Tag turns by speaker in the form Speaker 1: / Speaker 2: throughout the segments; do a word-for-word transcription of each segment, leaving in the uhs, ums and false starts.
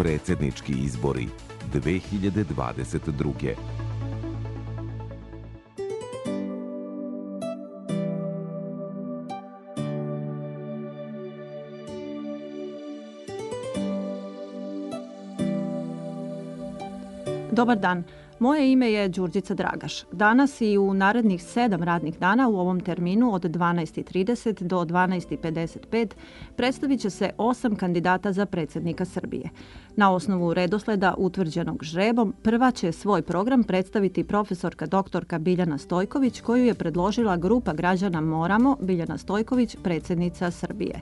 Speaker 1: Predsjednički izbori dve hiljade dvadeset druge.
Speaker 2: Dobar dan. Moje ime je Đurđica Dragaš. Danas i u narednih sedam radnih dana u ovom terminu od dvanaest i trideset do dvanaest i pedeset pet predstavit će se osam kandidata za predsjednika Srbije. Na osnovu redosleda utvrđenog žrebom, prva će svoj program predstaviti profesorka doktorka Biljana Stojković, koju je predložila grupa građana Moramo, Biljana Stojković, predsjednica Srbije.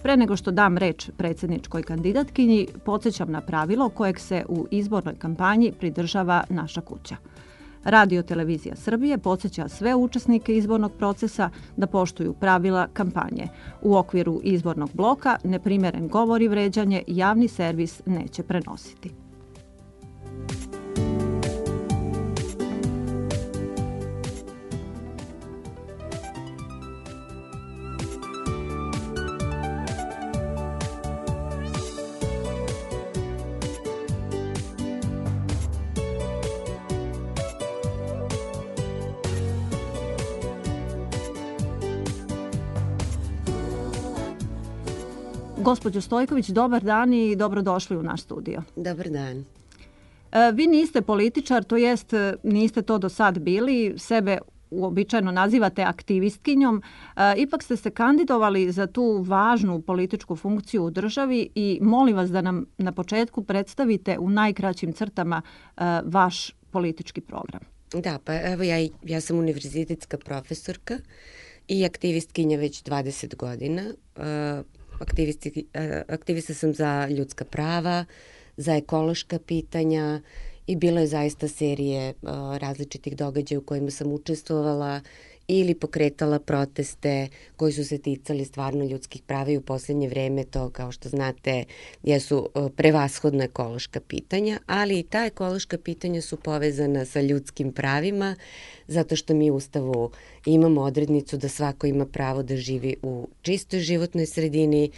Speaker 2: Pre nego što dam reč predsjedničkoj kandidatkinji, podsjećam na pravilo kojeg se u izbornoj kampanji pridržava naša kuća. Radio Televizija Srbije podsjeća sve učesnike izbornog procesa da poštuju pravila kampanje. U okviru izbornog bloka neprimjeren govor i vređanje javni servis neće prenositi. Gospođo Stojković, dobar dan i dobrodošli u naš studio.
Speaker 3: Dobar dan.
Speaker 2: Vi niste političar, to jest niste to do sad bili, sebe uobičajeno nazivate aktivistkinjom, ipak ste se kandidovali za tu važnu političku funkciju u državi i molim vas da nam na početku predstavite u najkraćim crtama vaš politički program.
Speaker 3: Da, pa evo ja, ja sam univerzitetska profesorka i aktivistkinja već dvadeset godina. Aktivisti, aktivista sam za ljudska prava, za ekološka pitanja i bilo je zaista serije uh, različitih događaja u kojima sam učestvovala ili pokretala proteste koji su se ticali stvarno ljudskih prava i u posljednje vreme to, kao što znate, jesu uh, prevashodna ekološka pitanja, ali i ta ekološka pitanja su povezana sa ljudskim pravima, zato što mi u Ustavu imamo odrednicu da svako ima pravo da živi u čistoj životnoj sredini,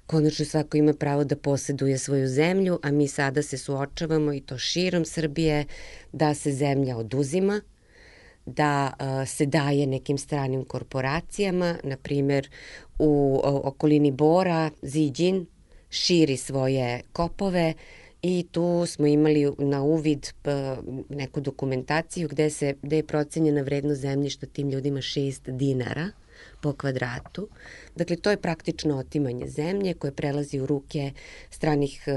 Speaker 3: konačno svako ima pravo da posjeduje svoju zemlju, a mi sada se suočavamo i to širom Srbije da se zemlja oduzima, da uh, se daje nekim stranim korporacijama, na primjer u o, okolini Bora, Ziđin širi svoje kopove i tu smo imali na uvid p, neku dokumentaciju gde, se, gde je procenjena vrednost zemljišta tim ljudima šest dinara po kvadratu. Dakle, to je praktično otimanje zemlje koje prelazi u ruke stranih e,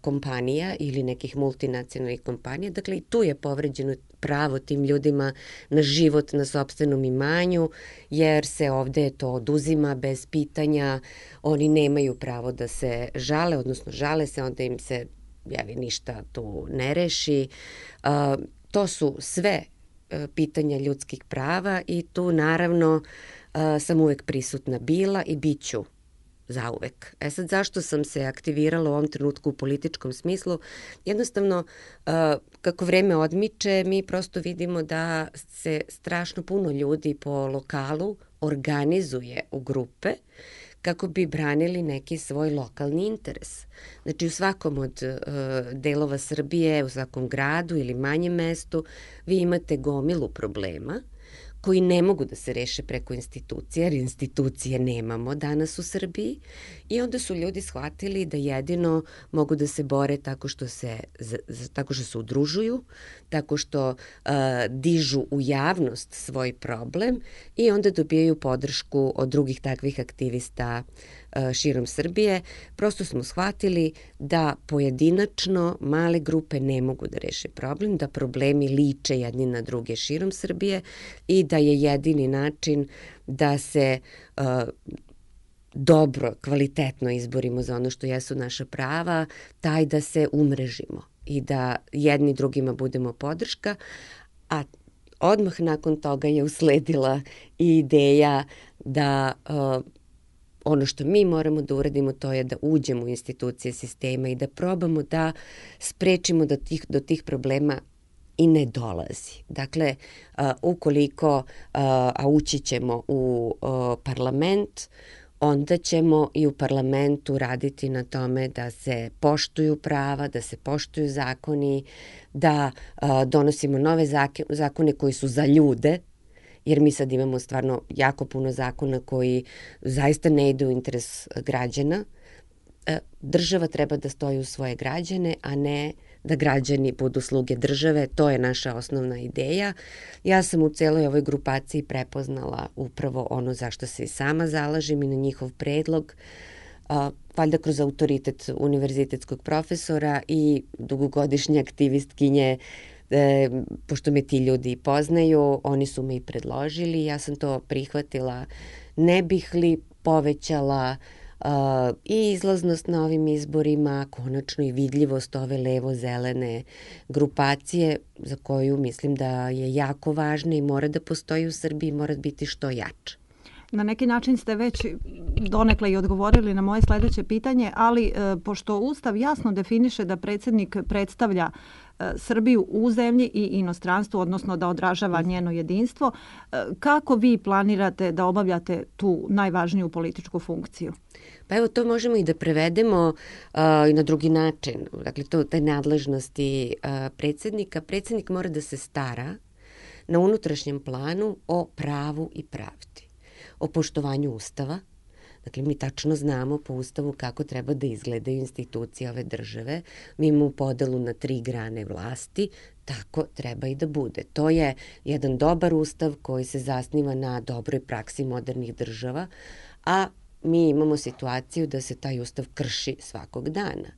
Speaker 3: kompanija ili nekih multinacionalnih kompanija. Dakle, i tu je povređeno pravo tim ljudima na život na sopstvenom imanju, jer se ovde to oduzima bez pitanja. Oni nemaju pravo da se žale, odnosno žale se, onda im se javi ništa tu ne reši. E, to su sve e, pitanja ljudskih prava i tu naravno Uh, sam uvek prisutna bila i bit ću zauvek. E sad, zašto sam se aktivirala u ovom trenutku u političkom smislu? Jednostavno, uh, kako vreme odmiče, mi prosto vidimo da se strašno puno ljudi po lokalu organizuje u grupe kako bi branili neki svoj lokalni interes. Znači, u svakom od uh, delova Srbije, u svakom gradu ili manjem mestu, vi imate gomilu problema koji ne mogu da se reše preko institucije, jer institucije nemamo danas u Srbiji. I onda su ljudi shvatili da jedino mogu da se bore tako što se, tako što se udružuju, tako što uh, dižu u javnost svoj problem i onda dobijaju podršku od drugih takvih aktivista uh, širom Srbije. Prosto smo shvatili da pojedinačno male grupe ne mogu da reše problem, da problemi liče jedni na druge širom Srbije i da je jedini način da se uh, dobro, kvalitetno izborimo za ono što jesu naša prava, taj da se umrežimo i da jedni drugima budemo podrška, a odmah nakon toga je usledila i ideja da uh, ono što mi moramo da uradimo to je da uđemo u institucije sistema i da probamo da sprečimo da tih, do tih problema i ne dolazi. Dakle, uh, ukoliko, uh, a ući ćemo u uh, parlament, onda ćemo i u parlamentu raditi na tome da se poštuju prava, da se poštuju zakoni, da a, donosimo nove zakone koji su za ljude, jer mi sad imamo stvarno jako puno zakona koji zaista ne idu u interes građana. Država treba da stoji u svoje građane, a ne da građani budu sluge države. To je naša osnovna ideja. Ja sam u celoj ovoj grupaciji prepoznala upravo ono zašto se i sama zalažem i na njihov predlog, a, valjda kroz autoritet univerzitetskog profesora i dugogodišnje aktivistkinje. E, pošto me ti ljudi poznaju, oni su me i predložili, ja sam to prihvatila. Ne bih li povećala uh, i izlaznost na ovim izborima, konačno i vidljivost ove levo-zelene grupacije za koju mislim da je jako važna i mora da postoji u Srbiji, mora biti što jača.
Speaker 2: Na neki način ste već donekle i odgovorili na moje sledeće pitanje, ali e, pošto Ustav jasno definiše da predsjednik predstavlja e, Srbiju u zemlji i inostranstvu, odnosno da odražava njeno jedinstvo, e, kako vi planirate da obavljate tu najvažniju političku funkciju?
Speaker 3: Pa evo, to možemo i da prevedemo uh, i na drugi način. Dakle, to te nadležnosti uh, predsjednika. Predsjednik mora da se stara na unutrašnjem planu o pravu i pravdi, o poštovanju Ustava. Dakle, mi tačno znamo po Ustavu kako treba da izgledaju institucije ove države. Mi imamo podelu na tri grane vlasti, tako treba i da bude. To je jedan dobar Ustav koji se zasniva na dobroj praksi modernih država, a mi imamo situaciju da se taj Ustav krši svakog dana.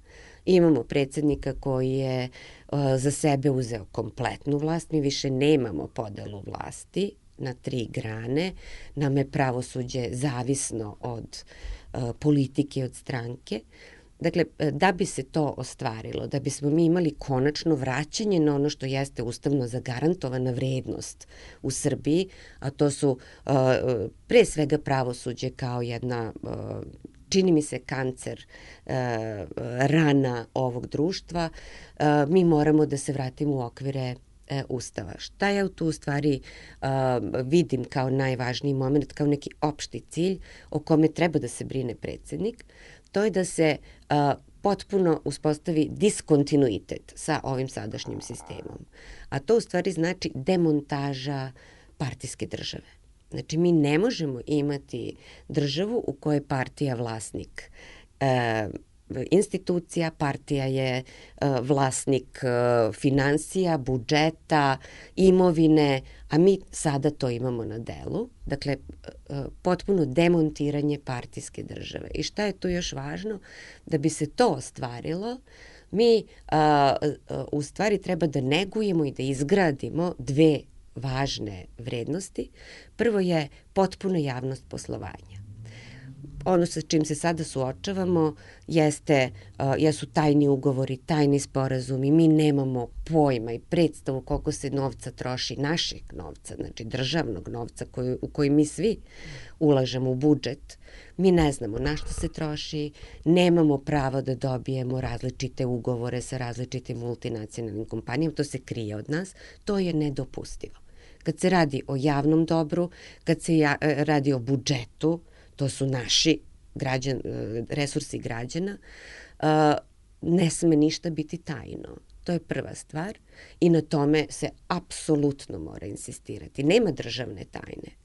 Speaker 3: Imamo predsjednika koji je uh, za sebe uzeo kompletnu vlast, mi više nemamo podelu vlasti na tri grane, nam je pravosuđe zavisno od uh, politike, od stranke. Dakle, da bi se to ostvarilo, da bismo mi imali konačno vraćanje na ono što jeste ustavno zagarantovana vrednost u Srbiji, a to su uh, pre svega pravosuđe kao jedna, uh, čini mi se, kancer, uh, rana ovog društva, uh, mi moramo da se vratimo u okvire Ustava. Šta ja tu u stvari uh, vidim kao najvažniji moment, kao neki opšti cilj o kome treba da se brine predsjednik, to je da se uh, potpuno uspostavi diskontinuitet sa ovim sadašnjim sistemom. A to u stvari znači demontaža partijske države. Znači, mi ne možemo imati državu u kojoj je partija vlasnik uh, institucija, partija je uh, vlasnik uh, finansija, budžeta, imovine, a mi sada to imamo na delu. Dakle, uh, potpuno demontiranje partijske države. I šta je tu još važno? Da bi se to ostvarilo, mi uh, uh, u stvari treba da negujemo i da izgradimo dve važne vrednosti. Prvo je potpuna javnost poslovanja. Ono sa čim se sada suočavamo jeste, uh, jesu tajni ugovori, tajni sporazumi, mi nemamo pojma i predstavu koliko se novca troši, našeg novca, znači državnog novca koji, u koji mi svi ulažemo u budžet. Mi ne znamo na što se troši, nemamo pravo da dobijemo različite ugovore sa različitim multinacionalnim kompanijama, to se krije od nas, to je nedopustivo. Kad se radi o javnom dobru, kad se ja, radi o budžetu, to su naši građan, resursi građana, ne sme ništa biti tajno. To je prva stvar i na tome se apsolutno mora insistirati. Nema državne tajne.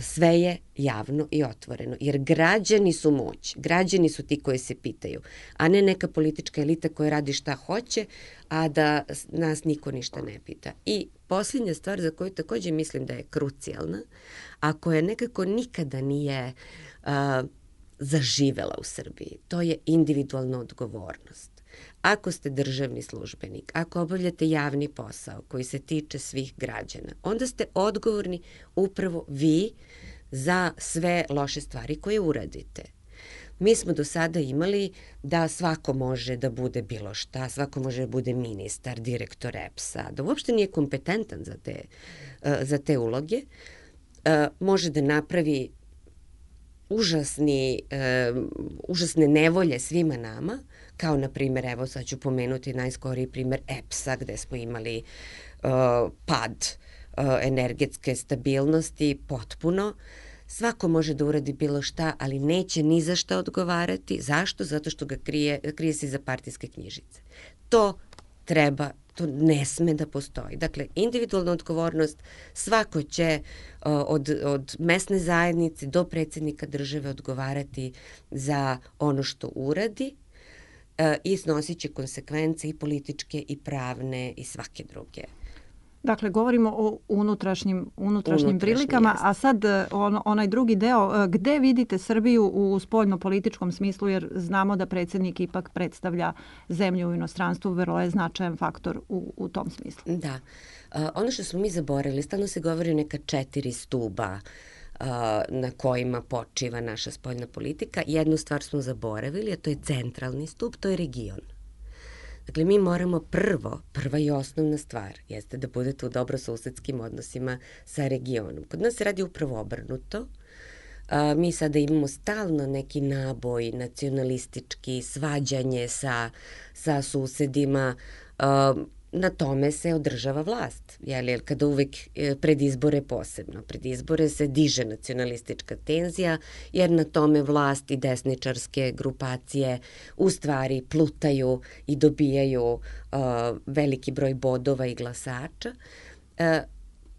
Speaker 3: Sve je javno i otvoreno, jer građani su moć, građani su ti koji se pitaju, a ne neka politička elita koja radi šta hoće, a da nas niko ništa ne pita. I posljednja stvar za koju također mislim da je krucijalna, a koja nekako nikada nije uh, zaživela u Srbiji, to je individualna odgovornost. Ako ste državni službenik, ako obavljate javni posao koji se tiče svih građana, onda ste odgovorni upravo vi za sve loše stvari koje uradite. Mi smo do sada imali da svako može da bude bilo šta, svako može da bude ministar, direktor E P S-a, da uopšte nije kompetentan za te, za te uloge, može da napravi užasni, uh, užasne nevolje svima nama, kao na primjer, evo sad ću pomenuti najskoriji primjer E P S-a gde smo imali uh, pad uh, energetske stabilnosti potpuno. svako može da uradi bilo šta, ali neće ni za šta odgovarati. Zašto? Zato što ga krije, krije se iza partijske knjižice. To treba, to ne sme da postoji. Dakle, individualna odgovornost, svako će od, od mesne zajednice do predsjednika države odgovarati za ono što uradi i snosit će konsekvence i političke i pravne i svake druge.
Speaker 2: Dakle, govorimo o unutrašnjim, unutrašnjim prilikama, jest. A sad on, onaj drugi deo, gde vidite Srbiju u spoljno-političkom smislu, jer znamo da predsjednik ipak predstavlja zemlju u inostranstvu, vrlo je značajan faktor u, u tom smislu.
Speaker 3: Da. Uh, ono što smo mi zaboravili, stalno se govori o neka četiri stuba uh, na kojima počiva naša spoljna politika. Jednu stvar smo zaboravili, a to je centralni stup, to je region. Dakle, mi moramo prvo, prva i osnovna stvar jeste da budete u dobrosusedskim odnosima sa regionom. Kod nas se radi upravo obrnuto. A, mi sada imamo stalno neki naboj nacionalistički, svađanje sa, sa susedima. A, na tome se održava vlast, jer kada uvek pred izbore posebno. Pred izbore se diže nacionalistička tenzija, jer na tome vlast i desničarske grupacije u stvari plutaju i dobijaju uh, veliki broj bodova i glasača. Uh,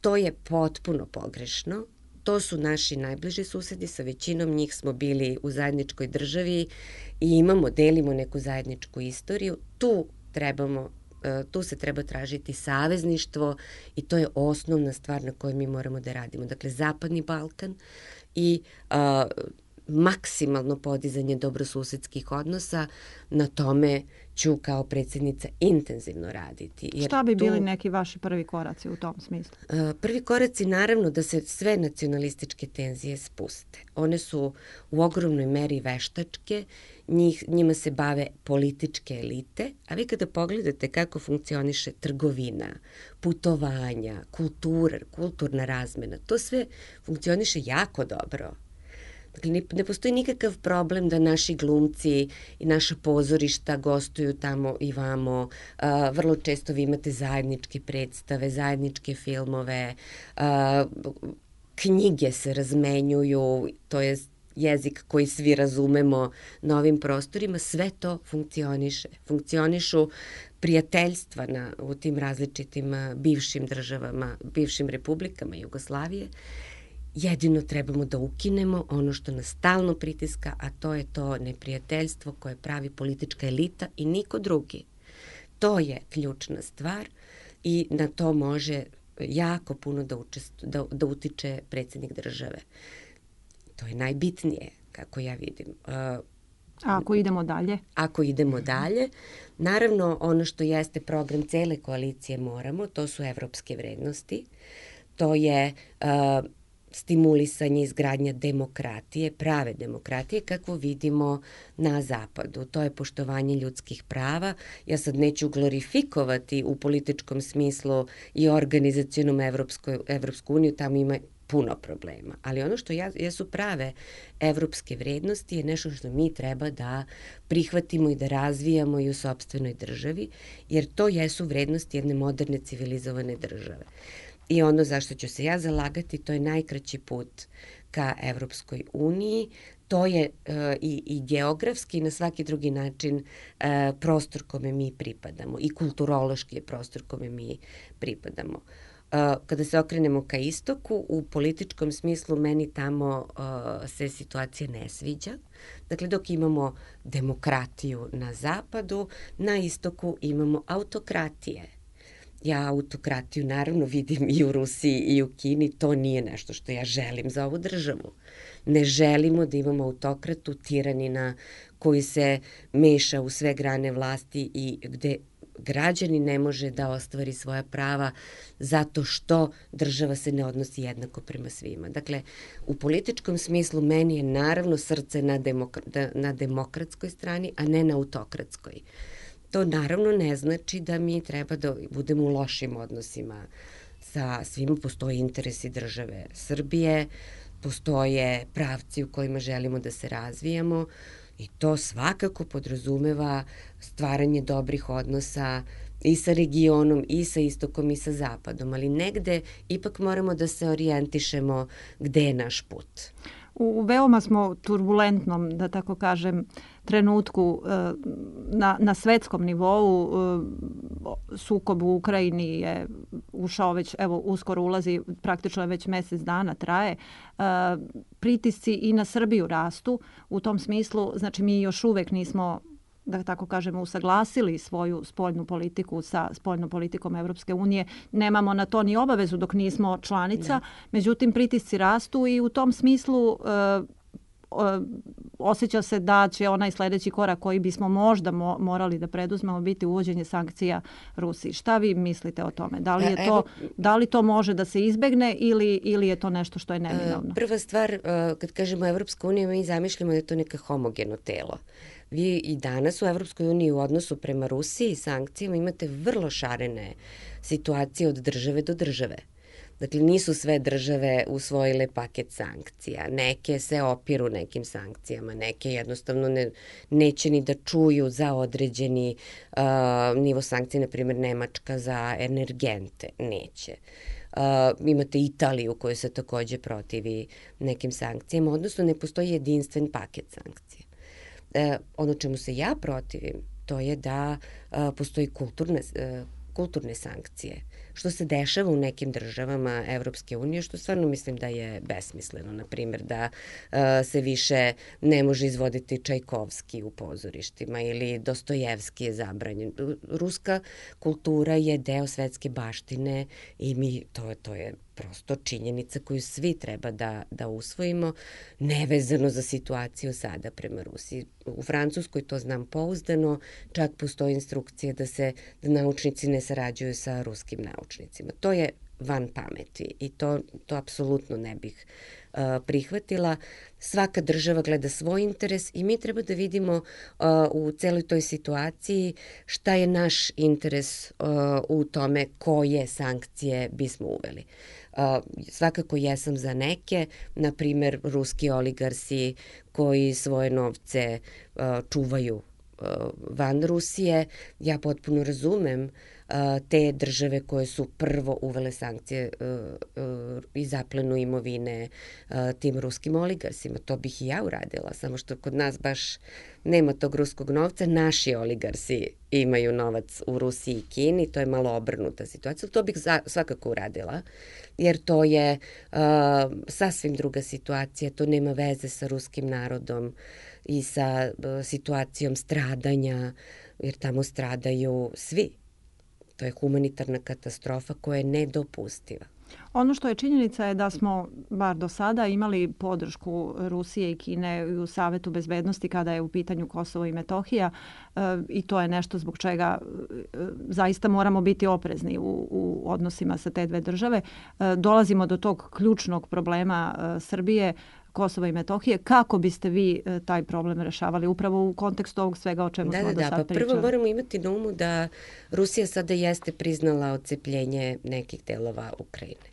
Speaker 3: to je potpuno pogrešno. To su naši najbliži susedi, sa većinom njih smo bili u zajedničkoj državi i imamo, delimo neku zajedničku istoriju. Tu trebamo tu se treba tražiti savezništvo i to je osnovna stvar na kojoj mi moramo da radimo. Dakle, Zapadni Balkan i a, maksimalno podizanje dobrosusedskih odnosa, na tome ću kao predsjednica intenzivno raditi.
Speaker 2: Jer šta bi tu, bili neki vaši prvi koraci u tom smislu?
Speaker 3: A, prvi koraci naravno da se sve nacionalističke tenzije spuste. One su u ogromnoj meri veštačke, njih, njima se bave političke elite, a vi kada pogledate kako funkcioniše trgovina, putovanja, kultura, kulturna razmena, to sve funkcioniše jako dobro. Dakle, ne postoji nikakav problem da naši glumci i naša pozorišta gostuju tamo i vamo. Uh, vrlo često vi imate zajedničke predstave, zajedničke filmove, uh, knjige se razmenjuju, to je jezik koji svi razumemo na ovim prostorima, sve to funkcioniše. Funkcionišu prijateljstva na, u tim različitim bivšim državama, bivšim republikama Jugoslavije. Jedino trebamo da ukinemo ono što nas stalno pritiska, a to je to neprijateljstvo koje pravi politička elita i niko drugi. To je ključna stvar i na to može jako puno da, učestu, da, da utiče predsjednik države. To je najbitnije, kako ja vidim.
Speaker 2: A ako idemo dalje?
Speaker 3: Ako idemo dalje, naravno ono što jeste program cele koalicije moramo, to su evropske vrednosti, to je uh, stimulisanje izgradnja demokratije, prave demokratije, kako vidimo na zapadu. To je poštovanje ljudskih prava. Ja sad neću glorifikovati u političkom smislu i organizacionom Evropsku, Evropsku uniju, tamo ima puno problema. Ali ono što jesu prave evropske vrednosti je nešto što mi treba da prihvatimo i da razvijamo i u sopstvenoj državi, jer to jesu vrednosti jedne moderne civilizovane države. I ono zašto ću se ja zalagati, to je najkraći put ka Evropskoj uniji, to je uh, i, i geografski i na svaki drugi način uh, prostor kome mi pripadamo i kulturološki je prostor kome mi pripadamo. Uh, kada se okrenemo ka istoku, u političkom smislu meni tamo uh, se situacija ne sviđa. Dakle, dok imamo demokratiju na zapadu, na istoku imamo autokratije. Ja autokratiju naravno vidim i u Rusiji i u Kini, to nije nešto što ja želim za ovu državu. Ne želimo da imamo autokratu, tiranina koji se meša u sve grane vlasti i gde građani ne može da ostvari svoja prava zato što država se ne odnosi jednako prema svima. Dakle, u političkom smislu meni je naravno srce na, demokra- na demokratskoj strani, a ne na autokratskoj. To naravno ne znači da mi treba da budemo u lošim odnosima sa svima. Postoje interesi države Srbije, postoje pravci u kojima želimo da se razvijamo I to svakako podrazumeva stvaranje dobrih odnosa i sa regionom, i sa istokom, i sa zapadom, ali negde ipak moramo da se orijentišemo gde je naš put.
Speaker 2: U veoma smo turbulentnom, da tako kažem, trenutku na, na svetskom nivou. Sukob u Ukrajini je ušao već, evo uskoro ulazi, praktično već mesec dana traje. Pritisci i na Srbiju rastu u tom smislu. Znači mi još uvek nismo, da tako kažemo, usaglasili svoju spoljnu politiku sa spoljnom politikom Evropske unije. Nemamo na to ni obavezu dok nismo članica. Ne. Međutim, pritisci rastu i u tom smislu osjeća se da će onaj sljedeći korak koji bismo možda mo- morali da preduzmemo biti uvođenje sankcija Rusiji. Šta vi mislite o tome? Da li, je to, da li to može da se izbegne ili, ili je to nešto što je neminovno?
Speaker 3: Prva stvar, kad kažemo Evropska unija, mi zamišljamo da je to neka homogeno telo. Vi i danas u Evropskoj uniji u odnosu prema Rusiji i sankcijama imate vrlo šarene situacije od države do države. Dakle, nisu sve države usvojile paket sankcija. Neke se opiru nekim sankcijama, neke jednostavno ne, neće ni da čuju za određeni uh, nivo sankcije, na primjer Nemačka za energente, neće. Uh, imate Italiju koja se takođe protivi nekim sankcijama, odnosno ne postoji jedinstven paket sankcija. Uh, ono čemu se ja protivim, to je da uh, postoji kulturne, uh, kulturne sankcije, što se dešava u nekim državama Evropske unije, što stvarno mislim da je besmisleno. Na primjer, da uh, se više ne može izvoditi Čajkovski u pozorištima ili Dostojevski je zabranjen. Ruska kultura je deo svetske baštine i mi, to, to je prosto činjenica koju svi treba da, da usvojimo, nevezano za situaciju sada prema Rusiji. U Francuskoj to znam pouzdano, čak postoji instrukcija da se da naučnici ne sarađuju sa ruskim naučnicima. To je van pameti i to, to apsolutno ne bih uh, prihvatila. Svaka država gleda svoj interes i mi treba da vidimo uh, u celoj toj situaciji šta je naš interes uh, u tome koje sankcije bismo uveli. Uh, svakako jesam za neke, na primjer ruski oligarsi koji svoje novce uh, čuvaju uh, van Rusije. Ja potpuno razumem uh, te države koje su prvo uvele sankcije uh, uh, i zaplenu imovine uh, tim ruskim oligarsima. To bih i ja uradila, samo što kod nas baš nema tog ruskog novca. Naši oligarsi imaju novac u Rusiji i Kini, to je malo obrnuta situacija. To bih za, svakako uradila, jer to je uh, sasvim druga situacija, to nema veze sa ruskim narodom i sa uh, situacijom stradanja, jer tamo stradaju svi. To je humanitarna katastrofa koja je nedopustiva.
Speaker 2: Ono što je činjenica je da smo, bar do sada, imali podršku Rusije i Kine u Savetu bezbednosti kada je u pitanju Kosovo i Metohija e, i to je nešto zbog čega e, zaista moramo biti oprezni u, u odnosima sa te dve države. E, dolazimo do tog ključnog problema e, Srbije, Kosova i Metohije. Kako biste vi e, taj problem rešavali upravo u kontekstu ovog svega o čemu
Speaker 3: da,
Speaker 2: smo
Speaker 3: da,
Speaker 2: do
Speaker 3: da,
Speaker 2: sad
Speaker 3: pa
Speaker 2: pričali?
Speaker 3: Prvo moramo imati na umu da Rusija sada jeste priznala odcepljenje nekih delova Ukrajine.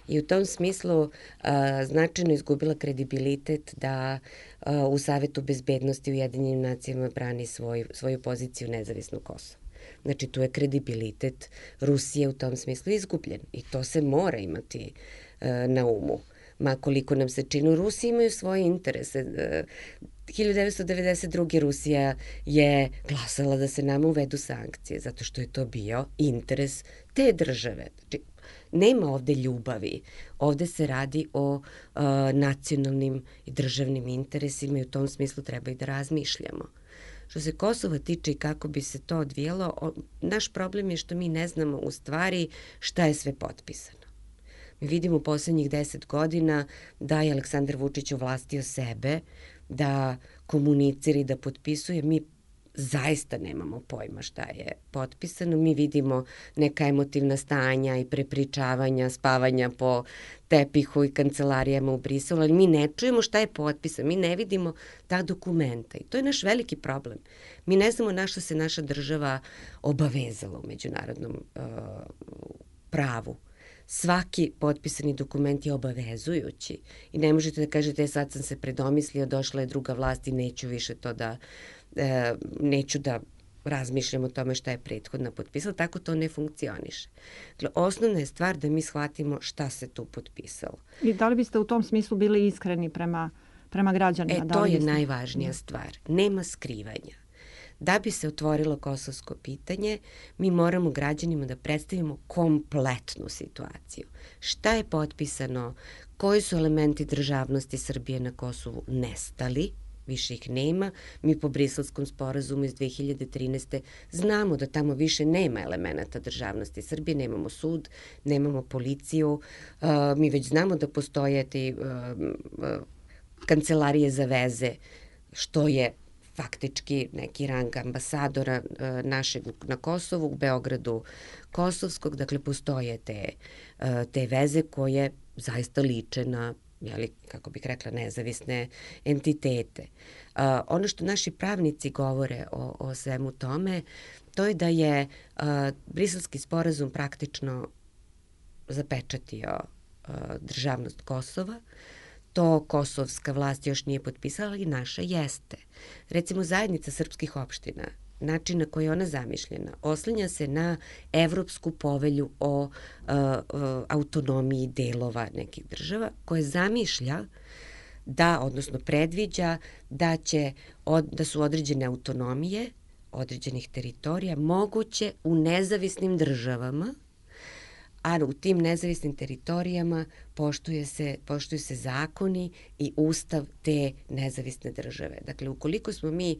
Speaker 3: I u tom smislu a, značajno izgubila kredibilitet da a, u Savetu bezbednosti Ujedinjenim nacijama brani svoj, svoju poziciju nezavisnog Kosova. Znači, tu je kredibilitet Rusije u tom smislu izgubljen i to se mora imati a, na umu. Ma koliko nam se čini, Rusi imaju svoje interese. hiljadu devetsto devedeset druge. Rusija je glasala da se nama uvedu sankcije, zato što je to bio interes te države. Znači, nema ovde ljubavi. Ovde se radi o uh, nacionalnim i državnim interesima i u tom smislu treba i da razmišljamo. Što se Kosova tiče i kako bi se to odvijalo, o, naš problem je što mi ne znamo u stvari šta je sve potpisano. Mi vidimo u poslednjih deset godina da je Aleksandar Vučić ovlastio sebe, da komunicira i da potpisuje. Mi zaista nemamo pojma šta je potpisano. Mi vidimo neka emotivna stanja i prepričavanja, spavanja po tepihu i kancelarijama u Briselu, ali mi ne čujemo šta je potpisano. Mi ne vidimo ta dokumenta i to je naš veliki problem. Mi ne znamo na što se naša država obavezala u međunarodnom uh, pravu. svaki potpisani dokument je obavezujući i ne možete da kažete sad sam se predomislio, došla je druga vlast i neću više to da, e, neću da razmišljam o tome šta je prethodna potpisala, tako to ne funkcioniše. Dakle, osnovna je stvar da mi shvatimo šta se tu potpisalo.
Speaker 2: I da li biste u tom smislu bili iskreni prema, prema građanima?
Speaker 3: E,
Speaker 2: da
Speaker 3: to
Speaker 2: li
Speaker 3: je
Speaker 2: biste...
Speaker 3: najvažnija stvar. Nema skrivanja. Da bi se otvorilo kosovsko pitanje, mi moramo građanima da predstavimo kompletnu situaciju. Šta je potpisano, koji su elementi državnosti Srbije na Kosovu nestali, više ih nema. Mi po Briselskom sporazumu iz dve hiljade trinaeste. znamo da tamo više nema elemenata državnosti Srbije, nemamo sud, nemamo policiju, uh, mi već znamo da postoje te uh, uh, kancelarije za veze, što je faktički neki rang ambasadora uh, našeg na Kosovu, u Beogradu kosovskog, dakle postoje te, uh, te veze koje zaista liče na, jeli, kako bih rekla, nezavisne entitete. Uh, ono što naši pravnici govore o, o svemu tome, to je da je uh, Briselski sporazum praktično zapečatio uh, državnost Kosova. To kosovska vlast još nije potpisala i naša jeste. Recimo, zajednica srpskih opština, način na koji je ona zamišljena, oslanja se na Evropsku povelju o uh, uh, autonomiji delova nekih država, koje zamišlja da, odnosno predviđa da, će, od, da su određene autonomije određenih teritorija moguće u nezavisnim državama, a u tim nezavisnim teritorijama poštuje se, poštuju se zakoni i ustav te nezavisne države. Dakle, ukoliko smo mi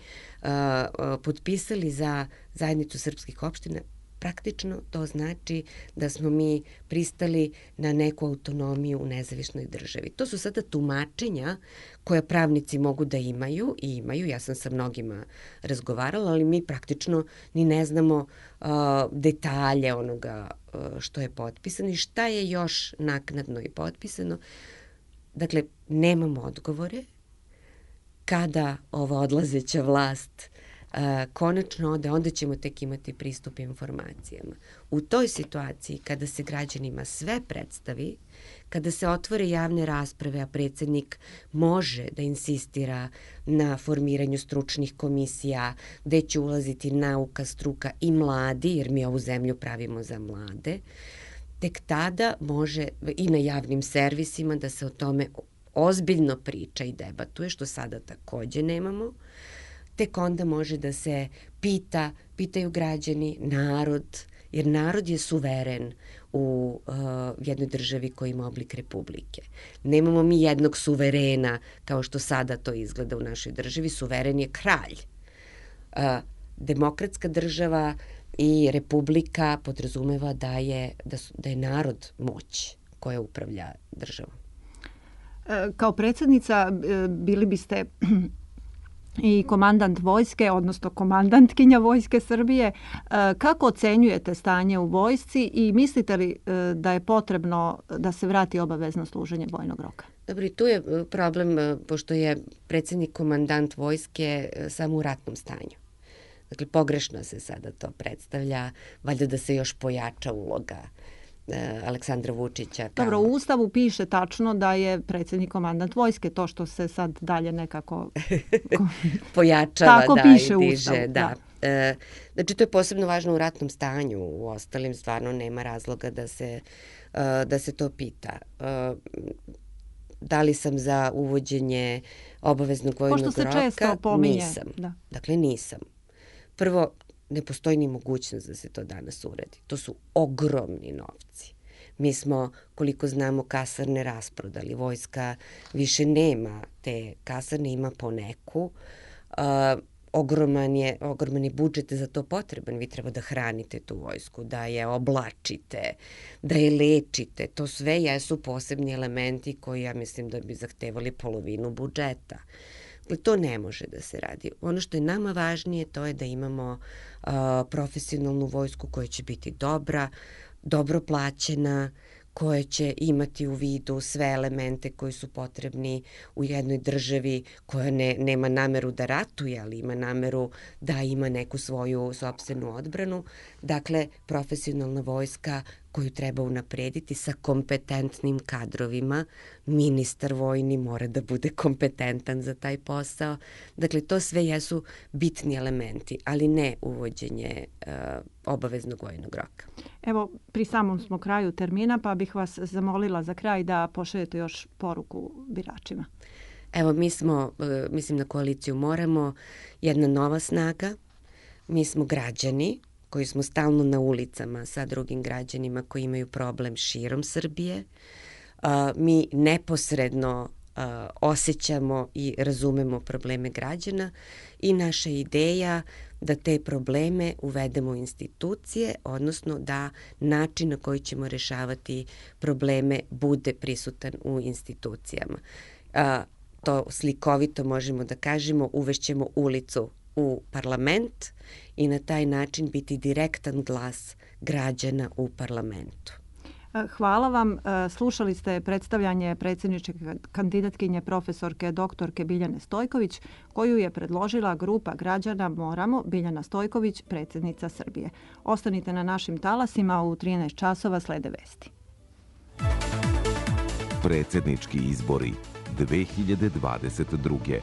Speaker 3: uh, uh, potpisali za zajednicu srpskih opština, praktično to znači da smo mi pristali na neku autonomiju u nezavisnoj državi. To su sada tumačenja koja pravnici mogu da imaju i imaju. Ja sam sa mnogima razgovarala, ali mi praktično ni ne znamo uh, detalje onoga uh, što je potpisano i šta je još naknadno i potpisano. Dakle, nemamo odgovore. Kada ova odlazeća vlast Uh, konačno ode, onda ćemo tek imati pristup informacijama. U toj situaciji, kada se građanima sve predstavi, kada se otvore javne rasprave, a predsjednik može da insistira na formiranju stručnih komisija, gde će ulaziti nauka, struka i mladi, jer mi ovu zemlju pravimo za mlade, tek tada može i na javnim servisima da se o tome ozbiljno priča i debatuje, što sada takođe nemamo. Tek onda može da se pita, pitaju građani, narod, jer narod je suveren u uh, jednoj državi koja ima oblik republike. Nemamo mi jednog suverena kao što sada to izgleda u našoj državi. Suveren je kralj. Uh, demokratska država i republika podrazumeva da je, da, su, da je narod moć koja upravlja državom.
Speaker 2: Kao predsjednica bili biste i komandant vojske, odnosno komandantkinja Vojske Srbije. Kako ocenjujete stanje u vojsci i mislite li da je potrebno da se vrati obavezno služenje vojnog roka?
Speaker 3: Dobro, i tu je problem, pošto je predsjednik komandant vojske samo u ratnom stanju. Dakle, pogrešno se sada to predstavlja, valjda da se još pojača uloga Aleksandra Vučića. Kao...
Speaker 2: Dobro, u Ustavu piše tačno da je predsjednik komandant vojske, to što se sad dalje nekako
Speaker 3: pojačava,
Speaker 2: tako
Speaker 3: da,
Speaker 2: piše
Speaker 3: i diže.
Speaker 2: Ustavu,
Speaker 3: da. Da. E, znači, to je posebno važno u ratnom stanju, u ostalim stvarno nema razloga da se, uh, da se to pita. Uh, da li sam za uvođenje obaveznog vojnog roka?
Speaker 2: Pošto se često pominje.
Speaker 3: Nisam.
Speaker 2: Da.
Speaker 3: Dakle, nisam. Prvo, ne postoji ni mogućnost da se to danas uradi. To su ogromni novci. Mi smo, koliko znamo, kasarne rasprodali. Vojska više nema te kasarne, ima po neku. Uh, ogroman je, ogroman je budžet za to potreban. Vi treba da hranite tu vojsku, da je oblačite, da je lečite. To sve jesu posebni elementi koji, ja mislim, da bi zahtevali polovinu budžeta. To ne može da se radi. Ono što je nama važnije, to je da imamo uh, profesionalnu vojsku koja će biti dobra, dobro plaćena, koja će imati u vidu sve elemente koji su potrebni u jednoj državi koja ne, nema nameru da ratuje, ali ima nameru da ima neku svoju sopstvenu odbranu. Dakle, profesionalna vojska koju treba unaprediti sa kompetentnim kadrovima. Ministar vojni mora da bude kompetentan za taj posao. Dakle, to sve jesu bitni elementi, ali ne uvođenje uh, obaveznog vojnog roka.
Speaker 2: Evo, pri samom smo kraju termina, pa bih vas zamolila za kraj da pošaljete još poruku biračima.
Speaker 3: Evo, mi smo, uh, mislim na koaliciju Moramo, jedna nova snaga. Mi smo građani koji smo stalno na ulicama sa drugim građanima koji imaju problem širom Srbije. Uh, mi neposredno uh, osjećamo i razumemo probleme građana i naša ideja da te probleme uvedemo u institucije, odnosno da način na koji ćemo rešavati probleme bude prisutan u institucijama. Uh, to slikovito možemo da kažemo, uvešćemo ulicu u parlament i na taj način biti direktan glas građana u parlamentu.
Speaker 2: Hvala vam. Slušali ste predstavljanje predsjedničke kandidatkinje profesorke doktorke Biljane Stojković, koju je predložila grupa građana Moramo, Biljana Stojković, predsjednica Srbije. Ostanite na našim talasima, u trinaest časova slede vesti.
Speaker 1: Predsjednički izbori dve hiljade dvadeset druge.